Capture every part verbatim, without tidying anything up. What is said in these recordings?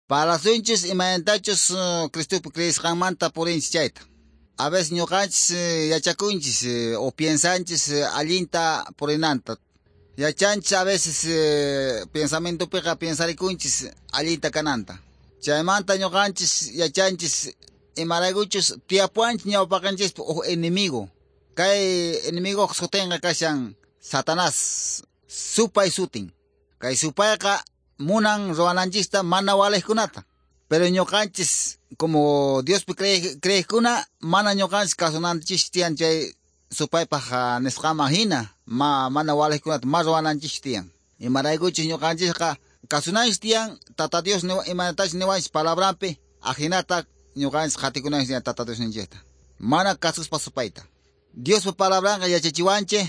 Parlasunchis imaynatachus uh, Cristopi creesqanmanta purinchis chayta. A veces ñuqanchis eh, yachakunchis eh, o piensanchis eh, allinta purinanta. Yachanchis a veces eh, pensamientopiqa pensarikunchis allinta kananta. Chaymanta ñuqanchis yachanchis imaraykuchus tiyapuwanchis ñawpaqanchispi huk enemigo. Kay enemigo sutinqa kashan Satanás, supay sutin. Kay supayqa munan ruwananchista mana waliqkunata. Pero ñuqanchis como Diospi creeqkuna mana ñuqanchis kasunanchis tiyan chay supaypaq nisqanman hina ma mana waliqkunata ma ruwananchis tiyan. Imaraykuchis ñuqanchisqa kasunanchis tiyan Tata Dios imanatachus niwanchis palabranpi ajinata ñuqanchis qatikunanchis tiyan Tata Diosninchikta. Mana kasuspa supayta. Diospa palabranqa yachachiwanchik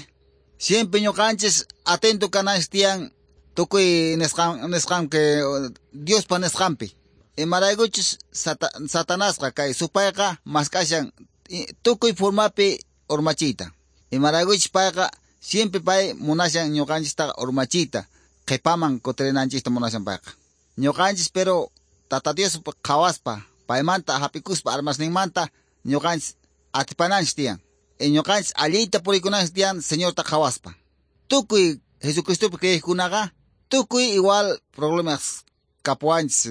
siempre ñuqanchis atento kananchis tiyan tukuy nisqan nisqan que Diospa nisqanpi. Imaraykuchus sata, Satanasqa kay supayqa mask'ashan tukuy formapi urmachiyta. Imaraykuchus payqa siempre pay munashan ñuqanchistaqa urmachiyta qhipaman kutirinanchista munashan payqa. Ñuqanchis pero Tata Dios qhawaspa paymanta hap'ikuspa armasninmanta ñuqanchis atipananchis tiyan. Y ñuqanchis allinta purikunanchis tiyan Señorta qhawaspa. Tukuy Jesucristopi creeqkunaqa tukuy igual problemas kapuwanchis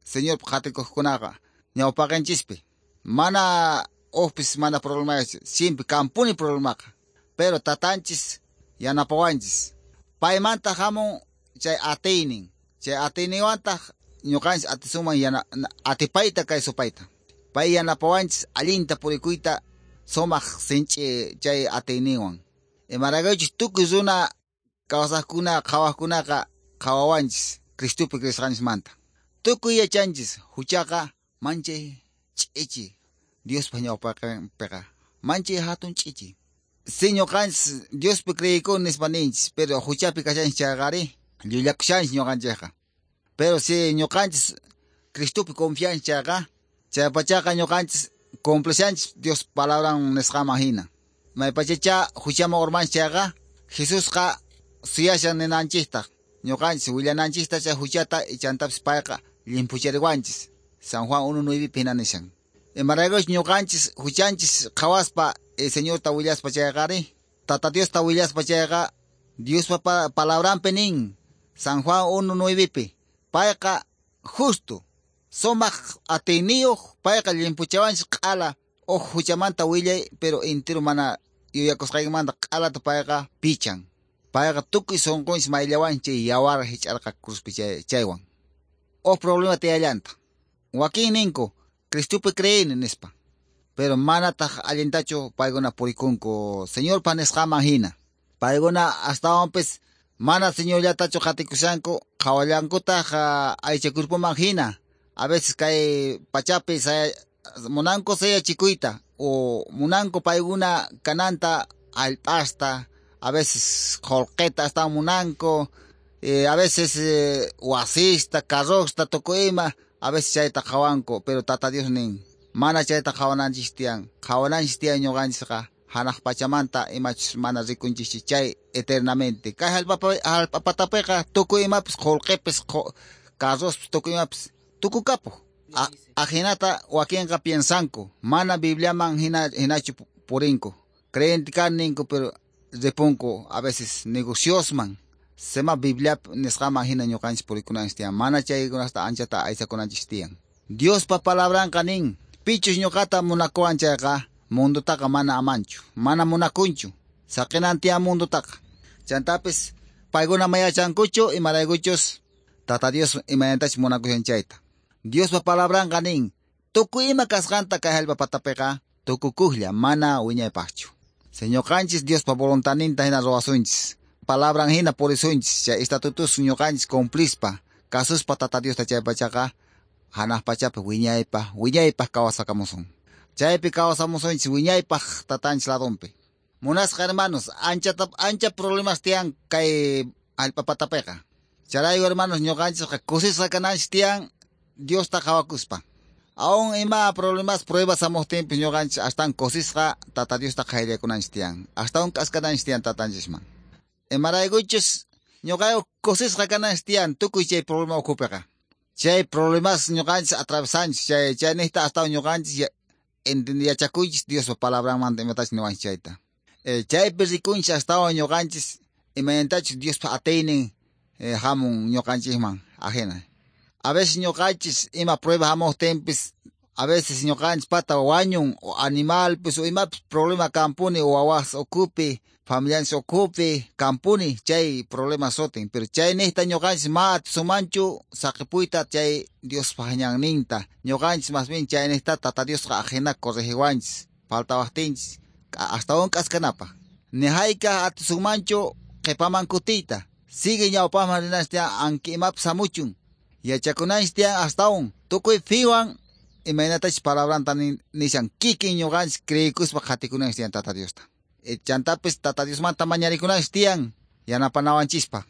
Señor qhatikuqkunaqa ñawpaqanchispi. Mana hukpis mana problema siempre kampuni problemaqa. Pero tatanchis yanapawanchis. Paymanta hamun chay atiynin. Chay atiyninwantaq ñuqanchis atisuman yana, atipayta kay supayta. Pay yanapawanchis allinta purikuyta sumaq sinch'i chay atiyninwan. Imaraykuchus tukuy runa kawsaqkuna qhawaqkunaqa qhawawanchis Cristopi creesqanchismanta. Tukuy yachanchis huchaqa manchay ch'ichi Diospa ñawpaqinpiqa manchay hatun ch'ichi. Si ñuqanchis Diospi creeykuni nispa ninchis, pero huchapi kashanchis chayqari llullakushanchis ñuqanchikqa. Pero si ñuqanchis Cristopi confianchis chayqa, chaypachaqa ñuqanchis cumplishanchis Dios palabran nisqanman hina. Maypachacha huchaman urmanchis chayqa, Jesusqa suyashan ninanchistaq. Ñuqanchis willananchista chay huchata ichantapis payqa limpuchariwanchis. San Juan uno nueve hina nishan. Imaraykuchus ñuqanchis huchanchis qhawaspa el Señorta willaspa chayqari, Tata Diosta willaspa chayqa, Diospa pa palabranpi nin San Juan uno nueve payqa justo sumaq atiyniyuq payqa limpuchawanchis q'ala huk huchamanta willay pero entero mana yuyakusqaykimanta q'alata payqa pichan. Payqa tukuy sunqunchis mayllawanchis yawar hich'arqa cruzpi chay, chaywan. Huk problema tiyallanta. Wakin ninku Cristopi creeni nispa. Pero manataq allintachu paykuna purikunku Señorpa nisqanman hina. Paykuna astawanpis mana Señorllatachu qatikushanku qhawallankutaq aycha cuerpoman hina. A veces kay pachapi saya, munanku sayachikuyta o munanku paykuna kananta allp'asta, a veces qullqita hasta munanku, eh, a veces eh, wasista, carrosta, tukuy ima, a veces chayta qhawanku, pero Tata Dios nin, mana chayta qhawananchis tiyan, qhawananchis tiyan ñuqanchisqa hanaq pachamanta imachus mana rikunchis chay eternamente. Kay hallp'apatapiqa tukuy imapis qullqipis, carrospis, tukuy imapis tukukapuq. Ajinata wakinqa piensanku, mana Bibliaman hina hinachu purinku. Creyente ninku pero ripunku a veces negociosman. Sema Biblia nisqaman hina ñuqanchis purikunanchis tiyan, mana chaykunasta anchata aysakunanchis tiyan. Diospa palabranqa nin, pichus ñuqata munakuwan chayqa mundotaqa mana amanchu, mana munakunchu, saqinan tiyan mundotaqa. Chantapis paykuna mayachankuchu imaraykuchus Tata Dios imaynatachus munakushan chayta. Diospa palabranqa nin, tukuy ima kasqanta kay hallp'a patapiqa tukukuqlla mana wiñaypaqchu. Señoqanchis Diospa voluntaninta hina ruwasunchis. Palabran hina purisunchis, chay estatutos ñuqanchis cumplispa, kasuspa Tata Diosta chay pachaqa hanaq pachapi wiñaypaq, wiñaypaq kawsakamusun. Chaypi kawsamusunchis wiñaypaq tatanchis ladunpi. Munasqa hermanos, ancha ancha problemas tiyan kay hallp'a patapiqa. Chayrayku hermanos ñuqanchisqa kusisqa kananchis tiyan Diosta qhawakuspa. Aún ima problemas pruebas hamuqtinpis ñuqanchis astawan kusisqa Tata Diosta qayllakunanchis tiyan. Astawan k'askananchis tiyan tatanchisman. Imaraykuchus ñuqayku kusisqa kananchis tiyan tukuy chay problema ukhupiqa. Chay problemas ñuqanchis atravesanchis, chay chaynejta hasta ñuqanchis yachakuychis Diospa palabranmanta imatachus niwanchis chayta. Eh, chaypi rikunchis astawan ñuqanchis imaynatachus Diospa atiynin eh, hamun ñuqanchisman ajena. A veces ñuqanchis ima prueba hamuqtinpis, a veces ñuqanchis pata wañun o animalpis o imapis problema kampuni o wawas ukupi, familianchis ukupi kampuni chay problema sutin. Pero chaynejta ñuqanchis ma atisunmanchu saqipuyta chay Diospa ñanninta. Ñuqanchis más bien chaynejta Tata Diosqa ajena corregiwanchis, faltawaqtinchis astawan k'askanapaq. Ni hayk'aq atisunmanchu qhipaman kutiyta. Sigue ñawpaqman rinanchis tiyan anki imapis hamuchun. Yachakunanchis tiyan astawan tukuy fiwan imaynatachus palabranta nishan kikin ñuqanchis creyikuspa qhatikunanchis tiyan Tata Diosta. E, chantapis Tata Diosmanta mañarikunanchis tiyan yanapanawanchispaq.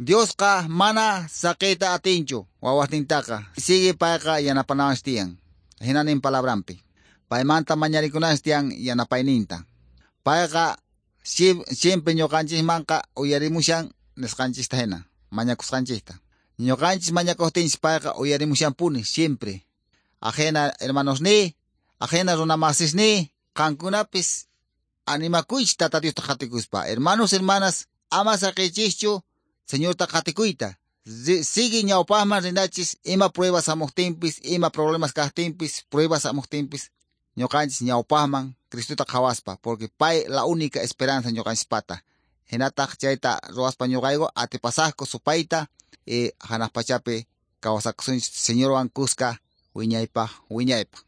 Diosqa mana saqiyta atinchu wawasnintaqa. Sigue payqa yanapanawanchis tiyan. Hinanin palabranpi. Paymanta mañarikunanchis tiyan yanapayninta. Payqa siempre ñuqanchismanqa uyarimushan nisqanchista hina, mañakusqanchista. Ñuqanchis mañakuqtinchis payqa uyarimushanpuni siempre. Ajena hermanos ni, ajena runamasis ni, qankunapis animakuychis Tata Diosta qhatikuspa. Hermanos, hermanas, ama saqiychischu Señorta qhatikuyta. Sigue ñawpaqman rinachis ima pruebas hamuqtinpis, ima problemas kaqtinpis, pruebas hamuqtinpis, ñuqanchis ñawpaqman Cristota qhawaspa, porque pay la única esperanza ñuqanchispata. Hinataq chayta ruwaspa ñuqayku atipasaqku supayta y hanaq pachapi kawsakusunchis Señorwan kuska wiñaypaq wiñaypaq.